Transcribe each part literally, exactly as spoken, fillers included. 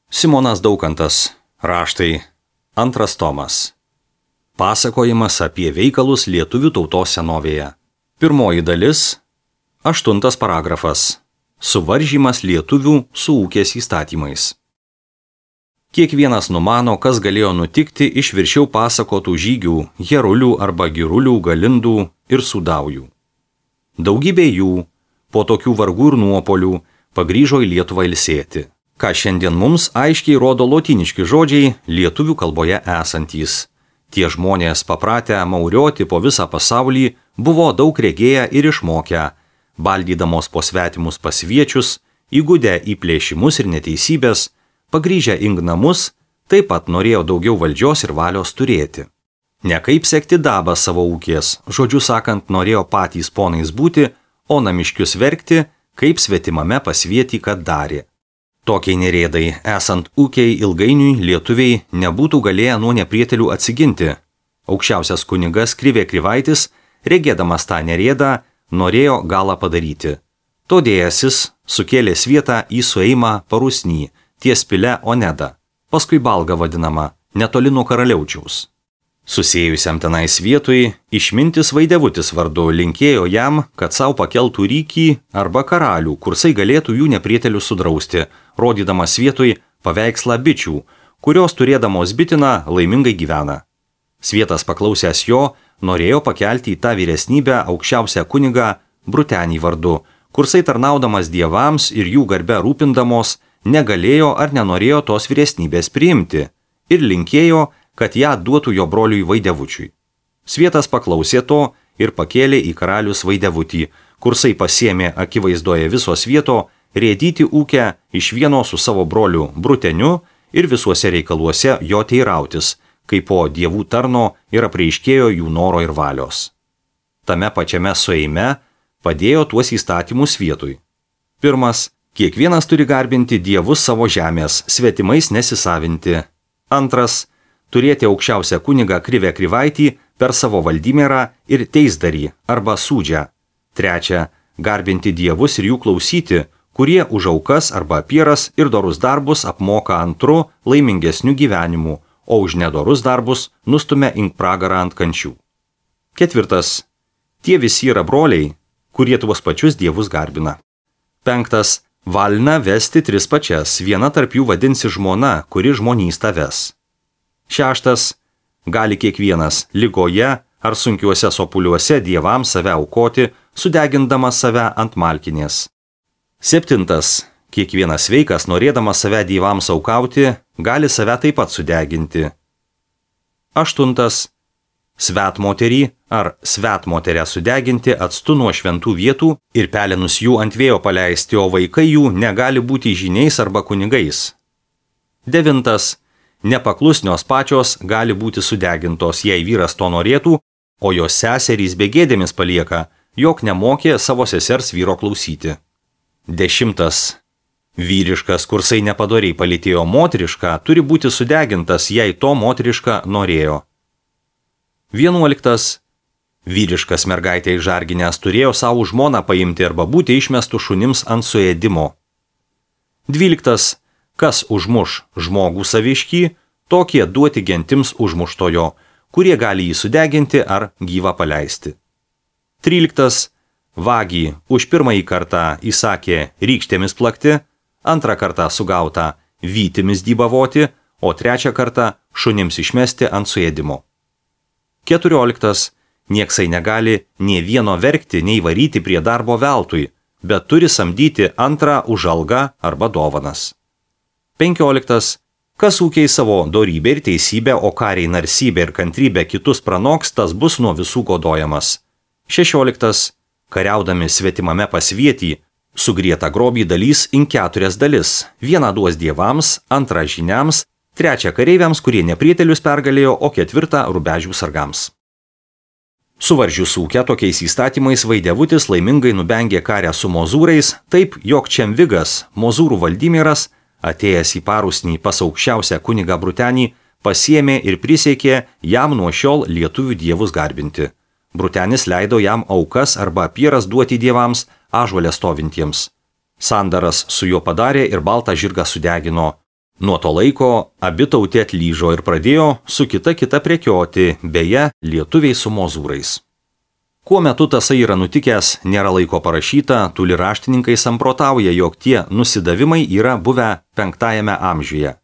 Simonas Daukantas. Raštai. Antras tomas. Pasakojimas apie veikalus lietuvių tautos senovėje. Pirmoji dalis. Aštuntas paragrafas. Suvaržymas lietuvių su ūkės įstatymais. Kiekvienas numano, kas galėjo nutikti iš viršiau pasakotų žygių, herulių arba girulių, galindų ir sudaujų. Daugybė jų, po tokių vargų ir nuopolių, pagrįžo į Lietuvą ilsėti, ką šiandien mums aiškiai rodo lotyniški žodžiai lietuvių kalboje esantys. Tie žmonės, papratę maurioti po visą pasaulį, buvo daug regėję ir išmokę, baldydamos po svetimus pasviečius, įgudę į plėšimus ir neteisybės, pagrįžę į namus, taip pat norėjo daugiau valdžios ir valios turėti. Ne kaip sekti dabą savo ūkės, žodžiu sakant, norėjo patys ponais būti, o namiškius verkti, kaip svetimame pasvietį, kad darė. Tokiai nerėdai, esant ūkiai ilgainiui lietuviai nebūtų galėję nuo neprietelių atsiginti. Aukščiausias kunigas Krivė Krivaitis, regėdamas tą nerėdą, norėjo galą padaryti. Todėjasis sukėlė svietą į sueimą Parusnį, ties pile Oneda, paskui Balga vadinama, netoli nuo Karaliaučiaus. Susėjusiam tenais vietui, išmintis Vaidevutis vardu linkėjo jam, kad savo pakeltų rykį arba karalių, kursai galėtų jų neprietelių sudrausti, rodydamas vietoj paveikslą bičių, kurios turėdamos bitiną laimingai gyvena. Svietas paklausęs jo, norėjo pakelti į tą vyresnybę aukščiausią kunigą Brutenį vardu, kursai tarnaudamas dievams ir jų garbe rūpindamos, negalėjo ar nenorėjo tos vyresnybės priimti ir linkėjo, kad ją duotų jo broliui Vaidevučiui. Svietas paklausė to ir pakėlė į karalius Vaidevutį, kursai pasiėmė akivaizdoje viso svieto rėdyti ūkę iš vieno su savo broliu Bruteniu ir visuose reikaluose jo teirautis, kai po dievų tarno ir apreiškėjo jų noro ir valios. Tame pačiame sueime padėjo tuos įstatymus vietui. Pirmas. Kiekvienas turi garbinti dievus savo žemės, svetimais nesisavinti. Antras. Turėti aukščiausią kunigą Krivę Krivaitį per savo valdymerą ir teisdarį arba sūdžią. Trečia. Garbinti dievus ir jų klausyti, kurie už aukas arba apieras ir dorus darbus apmoka antru laimingesnių gyvenimų, o už nedorus darbus nustumia ink pragarą ant kančių. Ketvirtas. Tie visi yra broliai, kurie tuos pačius dievus garbina. Penktas. Valna vesti tris pačias, viena tarp jų vadinsi žmona, kuri žmonystą ves. Šeštas. Gali kiekvienas ligoje ar sunkiuose sopuliuose dievams save aukoti, sudegindamas save ant malkinės. Septintas. Kiekvienas sveikas, norėdamas save dievams aukauti, gali save taip pat sudeginti. Aštuntas. Svetmoterį ar svetmoterę sudeginti atstu nuo šventų vietų ir pelenus jų ant vėjo paleisti, o vaikai jų negali būti žyniais arba kunigais. Devintas. Nepaklusnios pačios gali būti sudegintos, jei vyras to norėtų, o jos seserys begėdėmis palieka, jog nemokė savo sesers vyro klausyti. Dešimtas. Vyriškas, kursai nepadoriai palytėjo moterišką, turi būti sudegintas, jei to moteriška norėjo. Vienuoliktas. Vyriškas mergaitė išžarginęs turėjo savo žmoną paimti arba būti išmestų šunims ant suėdimo. Dvyliktas. Kas užmuš žmogų saviškį, tokie duoti gentims užmuštojo, kurie gali jį sudeginti ar gyvą paleisti. Tryliktas. Vagį už pirmąjį kartą įsakė rykštėmis plakti, antrą kartą sugautą vytimis dybavoti, o trečią kartą šunims išmesti ant suėdimo. Keturioliktas. Nieksai negali nei vieno verkti, nei varyti prie darbo veltui, bet turi samdyti antrą už algą arba dovanas. Penkioliktas. Kas ūkiai savo dorybę ir teisybę, o kariai narsybę ir kantrybę kitus pranoks, tas bus nuo visų godojamas. Šešioliktas. Kariaudami svetimame pasvietį, sugrietą grobį dalys in keturias dalis. Vieną duos dievams, antrą žyniams, trečią kareiviams, kurie neprietelius pergalėjo, o ketvirtą rubežių sargams. Suvaržius ūkę tokiais įstatymais Vaidevutis laimingai nubengė karę su mozūrais, taip jog Čemvigas, mozūrų valdymeras, atėjęs į Parusnį pas aukščiausią kunigą Brutenį, pasiėmė ir prisiekė jam nuo šiol lietuvių dievus garbinti. Brutenis leido jam aukas arba apieras duoti dievams ąžuole stovintiems. Sandaras su juo padarė ir baltą žirgą sudegino. Nuo to laiko abi tautė atlyžo ir pradėjo su kita kita prekioti, beje, lietuviai su mozūrais. Kuo metu tasai yra nutikęs, nėra laiko parašyta, tuli raštininkai samprotauja, jog tie nusidavimai yra buvę penktajame amžiuje.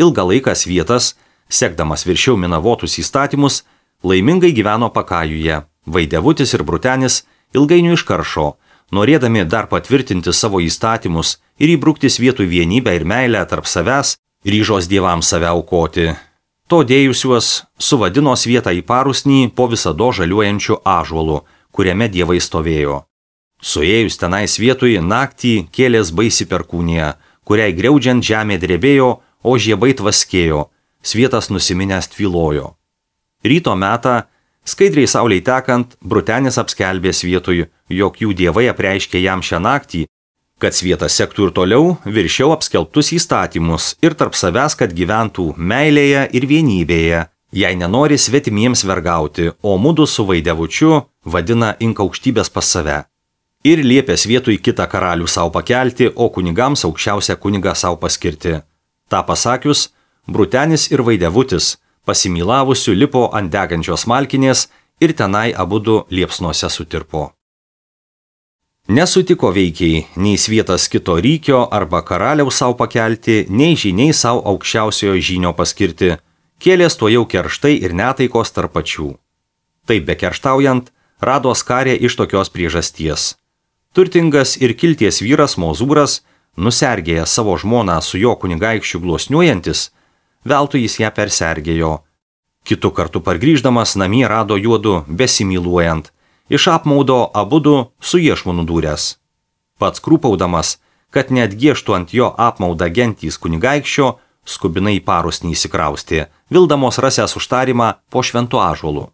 Ilgą laiką Svietas, sekdamas viršiau Minavotus įstatymus, laimingai gyveno Pakajuje. Vaidevutis ir Brutenis ilgainiui iškaršo, norėdami dar patvirtinti savo įstatymus ir įbrukti Svietų vienybę ir meilę tarp savęs, ryžos dievams save aukoti. To dėjusiuos suvadino Svietą į parusnį po visado žaliuojančių ąžuolų, kuriame dievai stovėjo. Suėjus tenai Svietui naktį kėlės baisi perkūnija, kuriai griaudžiant žemė drebėjo, o žiebai tvaskėjo, Svietas nusiminęs tvylojo. Ryto metą, skaidriai saulei tekant, Brutenis apskelbė Svietui, jog jų dievai apreiškė jam šią naktį, kad Svietas sektų ir toliau viršiau apskelbtus įstatymus ir tarp savęs, kad gyventų meilėje ir vienybėje, jei nenori svetimiems vergauti, o mudu su Vaidevučiu vadina ink aukštybės pas save. Ir liepė Svietui kitą karalių savo pakelti, o kunigams aukščiausią kunigą savo paskirti. Ta pasakius, Brutenis ir Vaidevutis pasimylavusių lipo ant degančios malkinės ir tenai abudu liepsnuose sutirpo. Nesutiko veikiai nei Svietas kito rykio arba karaliaus savo pakelti, nei žyniai savo aukščiausiojo žynio paskirti, kėlės to jau kerštai ir netaikos tarp pačių. Taip bekerštaujant, Rados karė iš tokios priežasties. Turtingas ir kilties vyras Mozūras, nusergėjęs savo žmoną su jo kunigaikščiu glosniuojantis, veltui jis ją persergėjo. Kitu kartu pargrįždamas namie rado juodu besimyluojant, iš apmaudo abudu su iešmu nudūręs. Pats krūpaudamas, kad net gėštų ant jo apmaudą gentys kunigaikščio, skubinai į parusnį įsikraustė, vildamos rasęs užtarimą po šventu ąžuolu.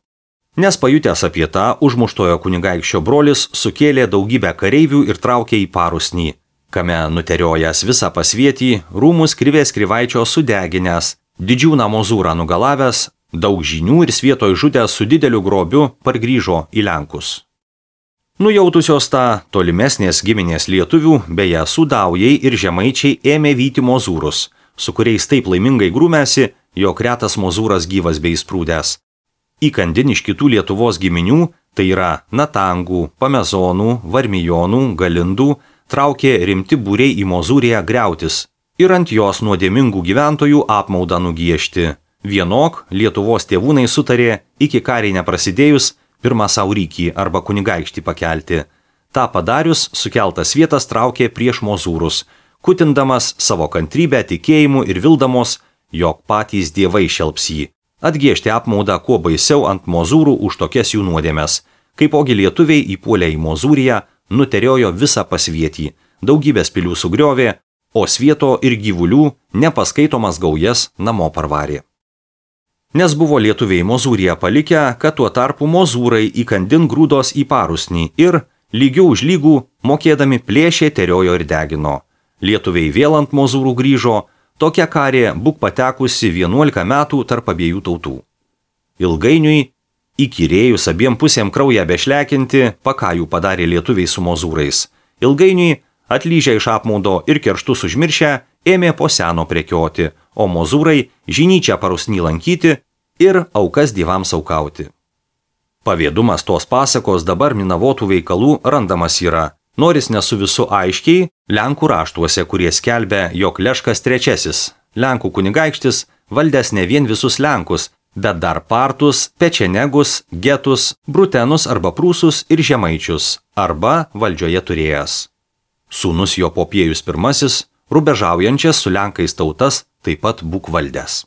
Nes pajutęs apie tą, užmuštojo kunigaikščio brolis sukėlė daugybę kareivių ir traukė į parusnį, kame nuteriojęs visą pasvietį, rūmus krivės krivaičio sudeginęs, didžiūną Mozūrą nugalavęs, daug žinių ir Svietoj žudęs su dideliu grobiu pargrįžo į Lenkus. Nujautusios tą tolimesnės giminės lietuvių, beje, sudaujai ir žemaičiai ėmė vyti Mozūrus, su kuriais taip laimingai grūmėsi, jog retas Mozūras gyvas bei sprūdęs. Įkandin iš kitų Lietuvos giminių, tai yra Natangų, Pamezonų, Varmijonų, Galindų, traukė rimti būriai į Mozūriją griautis ir ant jos nuodėmingų gyventojų apmaudą nugiešti. Vienok Lietuvos tėvūnai sutarė, iki kariai neprasidėjus, pirmą savo rykį arba kunigaikštį pakelti. Ta padarius, sukeltas Svietas traukė prieš Mozūrus, kutindamas savo kantrybę, tikėjimu ir vildamos, jog patys dievai šelps jį. Atgiežti apmaudą kuo baisiau ant Mozūrų už tokias jų nuodėmes. Kaipogi lietuviai įpuolė į Mozūriją, nuteriojo visą pasvietį, daugybės pilių sugriovė, o Svieto ir gyvulių nepaskaitomas gaujas namo parvarė. Nes buvo lietuviai Mozūriją palikę, kad tuo tarpu Mozūrai įkandin grūdos į parusnį ir, lygių už lygų, mokėdami plėšė, teriojo ir degino. Lietuviai vėl ant Mozūrų grįžo, tokia karė būk patekusi vienuolika metų tarp abiejų tautų. Ilgainiui, įkyrėjus abiem pusėm kraują bešlekinti, Pakajų padarė lietuviai su Mozūrais. Ilgainiui, atlyžę iš apmaudo ir kerštus užmiršę, ėmė po seno prekioti, o Mozūrai žinyčią parusnį lankyti ir aukas dievams aukauti. Pavėdumas tos pasakos dabar Minavotų veikalų randamas yra, noris ne su visu aiškiai, Lenkų raštuose, kurie skelbia, jog Leškas trečiasis, Lenkų kunigaikštis, valdęs ne vien visus Lenkus, bet dar Partus, Pečenegus, Getus, Brutenus arba Prūsus ir Žemaičius, arba valdžioje turėjęs. Sūnus jo Popiejus pirmasis, rubežaujančias su Lenkais tautas, taip pat būk valdęs.